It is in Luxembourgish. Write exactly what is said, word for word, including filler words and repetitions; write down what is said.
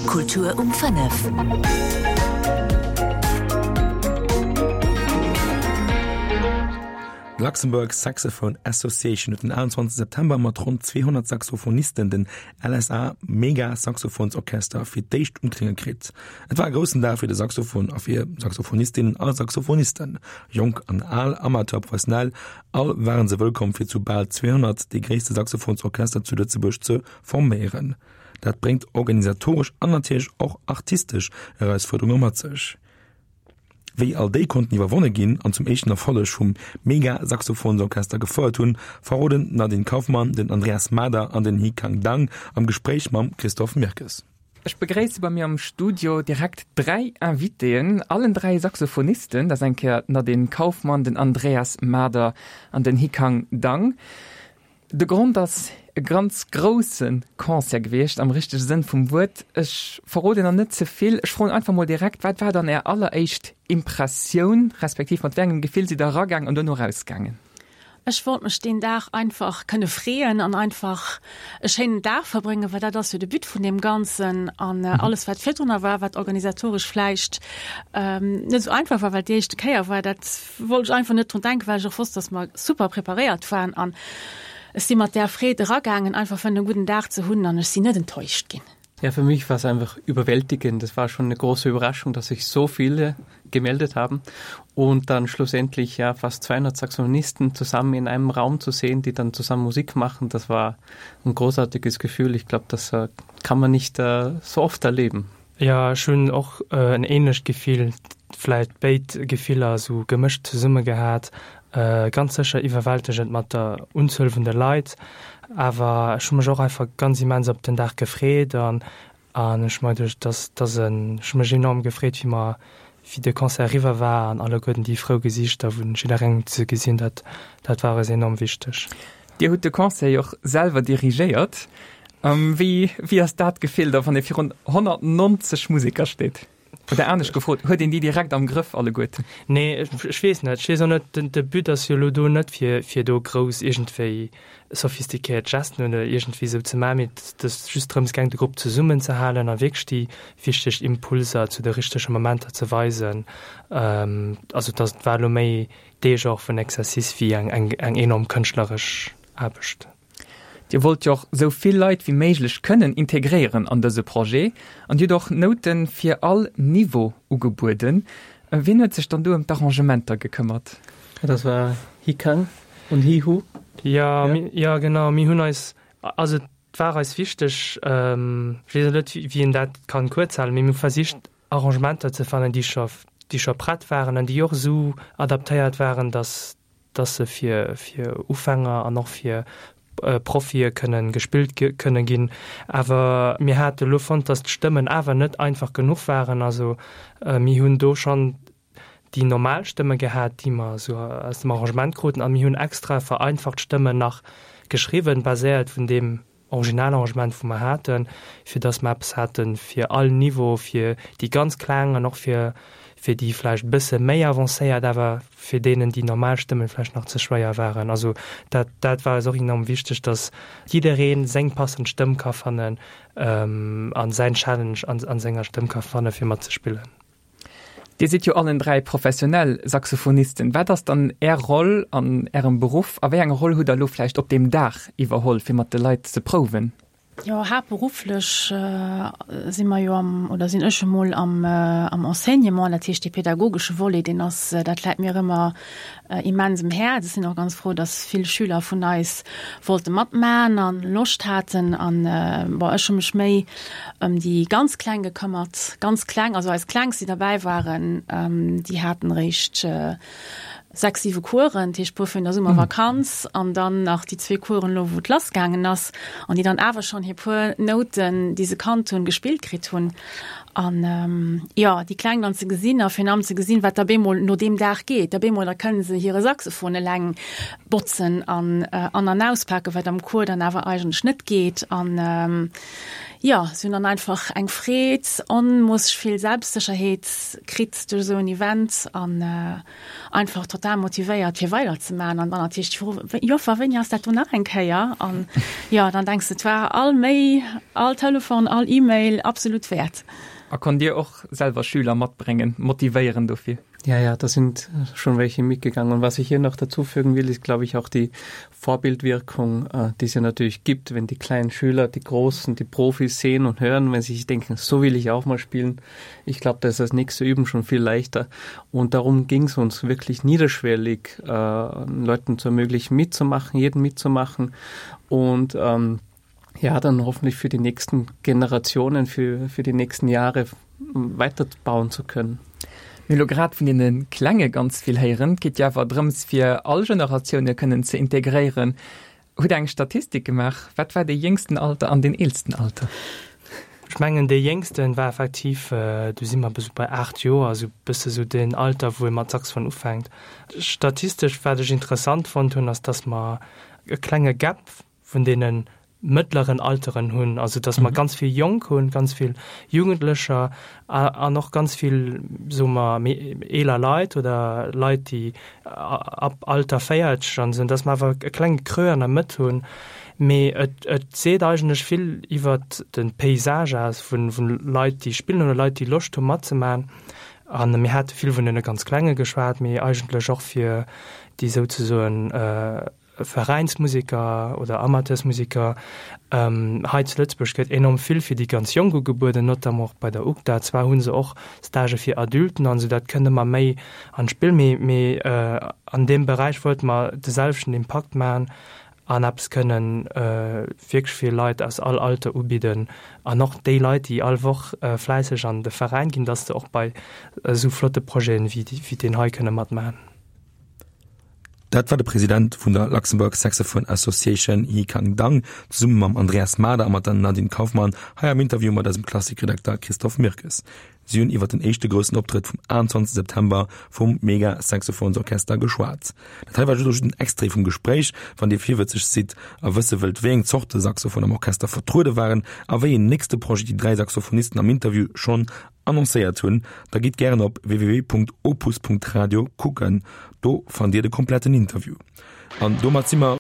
Kultur um fënnef. D'Luxembourg Saxophone Association huet den achtundzwanzegste September mat ronn zweehonnert Saxophonisten den L S A Mega Saxophonsorchester fir d'éischt un d'Klénge kritt. Et war e groussen Dag fir de Saxophon a fir Saxophonistinnen a Saxophonisten. Jonk an al, Amateur, professionell, all waren se wëllkomm fir zu bal zweehonnert dee gréisste Saxophonsorchester zu Lëtzebuerg ze forméieren. Dat bréngt organisatoresch an natierlech och artistesch Erausfuerderunge mat sech. Wéi all déi konnten iwwerwonne ginn an zum éischten Erfolleg vum Mega-Saxophonsorchester gefouert hunn, verroden d'Nadine Kaufmann, den Andreas Mader an den Hikang Dang am Gespréich mam Christophe Mirkes. Ech begréisse bei mir am Studio direkt dräi Invitéen, allen dräi Saxophonisten, dat ass eng Kéier d'Nadine Kaufmann, den Andreas Mader an den Hikang Dang. De Grond ass e ganz grousse Concert gewiescht, am richtege Sënn vum Wuert. Ech verroden nach net ze vill. Ech froen einfach mol direkt, wat war dann Är alleréischt Impressioun, respektiv mat wéi engem Gefill sidd Der eragaang an duerno erausgaangen? Ech wollt mech deen Dag einfach kënne freeën an einfach e schéinen Dag verbréngen, well dat ass jo de But vun deem Ganzen. An alles, wat virdrunner war, wat organisatoresch vläicht net esou einfach war, well et déi éischte Kéier war, dat wollt ech einfach net drun denken, well ech och wosst, dass mer super preparéiert waren. An ech si mat där Freed eragaangen, einfach fir en gudden Dag ze hunn an ech sinn net enttäuscht ginn. Ja, für mich war es einfach überwältigend. Das war schon eine große Überraschung, dass sich so viele gemeldet haben und dann schlussendlich ja fast zweihundert Saxophonisten zusammen in einem Raum zu sehen, die dann zusammen Musik machen, das war ein großartiges Gefühl. Ich glaub, das, äh, kann man nicht, äh, so oft erleben. Ja, ech hunn och, äh, en ähnlecht Gefill, vläicht béid Gefiller sou gemëscht zesumme gehat. Äh, ganz sécher iwwerwältegend mat der Unzuel vun de Leit, awer ech hu mech och einfach ganz immens op den Dag gefreet an, an ech mei duerch, dass, dass en, ech hu mech enorm gefreet, wéi mer, wéi de Concert eriwwer war an alleguerten déi frou Gesiichter vun jidderengem ze gesinn, dat, dat war eis enorm wichteg. Dir hutt de Concert jo och selwer dirigéiert. Ähm, wéi, wéi ass dat Gefill da, wann ee virun honnertneunzeg Museker steet? Oder anescht gefrot, huet een déi direkt am Grëff alleguerten? Nee, ech, ech weess net. Ech weess och net, den, de But ass jo elo do net fir, fir do grouss iergendwéi sophistiquéiert Gesten oder iergendwéi sou ze maachen, mee et ass just drëms gaang, de Grupp zesummenzehalen a wierklech déi wichteg Impulser zu de richtege Momenter ze weisen. Ähm, also dat war elo méi dee Genre vun Exercice wéi eng, eng, eng enorm kënschtleresch Aarbecht. Dir wollt jo och sou vill Leit wéi méiglech kënnen integréieren an dëse Projet an Dir hutt och Nouten fir all Niveau ugebueden. Wien huet sech dann do ëm d'Arrangementer gekëmmert? Ja, das war Hikang und Hihu. Ja, Ja. mi, ja, genau. Mir hunn eis, also et war eis wichteg, ähm, ech weess net, wéi, wéi een dat kann kuerz halen, mee mir hu versicht, Arrangementer ze fannen, déi scho, déi scho prett waren an déi och sou adaptéiert waren, dass, dass se fir, fir Ufänger an och fir, äh, Profie kënnen gespillt ge-, kënne ginn. Awer mir hate lo fonnt, dass d'Stëmmen awer net einfach genuch waren. Also, äh, mir hunn do schon déi normal Stëmme gehat, déi mer so aus dem Arrangement kruten, a mir hunn extra vereinfacht Stëmmen nach geschriwwen, baséiert vun dem Originalarrangement, wou mer haten, fir dass mer eppes haten fir all Niveau, fir déi ganz Klengen an och fir, fir déi vläicht bësse méi avancéiert, awer fir deenen, déi normal Stëmmen vläicht nach ze schwéier waren. Also dat, dat war eis och enorm wichteg, dass jiddereen seng passend Stëmm ka fannen, ähm, an säin Challenge an, an senger Stëmm ka fanne fir matzespillen. Dir sidd jo allen dräi professionell Saxophonisten. Wat ass dann Är Roll an Ärem Beruff a wéi eng Roll hutt der lo vläicht op deem Dag iwwerholl, fir mat de Leit ze prouwen? Jo, haaptberufflech, äh, si mer jo am, oder sinn ech emol am, äh, am Enseignement, dat heescht dee pädagogesche Volet, deen ass, äh, dat läit mir ëmmer, äh, immens um Häerz. Ech sinn och ganz frou, dass vill Schüler vun eis wollte matmachen an Loscht haten an, äh, bon, ech hu mech méi ëm déi ganz Kleng gekëmmert, ganz kleng, also eis Klengst, déi dabei waren, ähm, déi haten réischt, äh, sechs, siwe Coursen, dat heescht puer vun der Summervakanz an dann nach déi zwee Coursen lo, wou et lassgaangen ass an déi dann awer schonn hir puer Nouten, déi se kannt hunn, gespillt kritt hunn. An, ähm, ja, déi Kleng dann ze gesinn a virun allem ze gesinn, wat da bemol no deem Dag geet. Da bemol, da kënnen se hire Saxophon eleng botzen an, äh, an an auspaken, wat am Cours dann awer eigentlech net geet. An, ähm, Jo, si hunn dann einfach eng Freed, onmoosseg vill Selbstsécherheet kritt duerch esou en Event an einfach total motivéiert fir weider ze maachen. An dann natierlech déi Fro, Joffer, wéini ass dat do nach eng Kéier? An jo, dann denks de, et war all Méi, all Telefon, all E-Mail absolut wäert. A konnt Dir och selwer Schüler matbréngen, motivéieren dofir? Ja, ja, da sind schon welche mitgegangen. Und was ich hier noch dazufügen will, ist, glaube ich, auch die Vorbildwirkung, äh, die es ja natürlich gibt, wenn die kleinen Schüler, die Großen, die Profis sehen und hören, wenn sie sich denken, so will ich auch mal spielen. Ich glaube, da ist das nächste Üben schon viel leichter. Und darum ging es uns wirklich niederschwellig, äh, Leuten zu ermöglichen, mitzumachen, jeden mitzumachen. Und ähm, ja, dann hoffentlich für die nächsten Generationen, für, für die nächsten Jahre weiterbauen zu können. Mir hu lo grad vun deene Klenge ganz vill héieren. Et geet jo awer drëms fir all Generatioune kënnen ze integréieren. Hutt Der eng Statistik gemaach? Wat war dee jéngsten Alter an deen eelsten Alter? Ech mengen dee jéngsten war effektiv, do si mer esou bei aacht Joer, esou bësse sou deen Alter wou ee mat Saxophon ufänkt. Statistesch wat ech interessant fonnt hunn ass, datt mer e klenge Gap vun deene mëttleren Alteren hunn, also datt mer ganz vill Jonk hunn, ganz vill Jugendlecher an och ganz vill, soe mer, méi eeler Leit oder Leit, déi ab Alter véierzeg an esou, datt mer awer e klenge Creux an der Mëtt hunn. Mee et et seet eigentlech vill iwwert de Paysage aus vu Leit, déi spillen oder Leit, déi Loscht hu matzemaachen. A mir hate vill vun deene ganz Klenge geschwat, mee eigentlech och fir déi souzesoen Veräinsmuseker oder Amateursmuseker. Hei zu Lëtzebuerg gëtt enorm vill fir déi ganz Jonk ugebueden, notamment och bei der UGDA. Zwar hu se och Stagë fir Adulten an esou, dat kënnt ëmmer méi an d'Spill, mee mee an deem Beräich wollte mer de selwechten Impakt maachen an eppes kënnen wierklech fir Leit aus all Alter ubidden an och déi Leit, déi all Woch fläisseg an de Veräin ginn, dass se och bei esou flotte Projeten wéi deen hei kënne matmaachen. Dat war de President vun der Luxembourg Saxophone Association Yikang Dang zesumme mam Andreas Mader a mat der Nadine Kaufmann hei am Interview mat eisem Klassikredakter Christophe Mirkes. Si hunn iwwer den éischte groussen Optrëtt vum achtenzwanzeg September vum Mega Saxophonsorchester geschwat. Dat hei war just en Extrait vum Gespréich. Wann Dir virwëtzeg sidd a wësse wëllt, wéi eng Zorte Saxophon am Orchester vertruede waren a wéi een nächste Projet déi dräi Saxophonisten am Interview schonn annoncéiert hunn, da gitt gären op www.opus.radio kucken. Do fannt Dir de kompletten Interview. An domat si mer.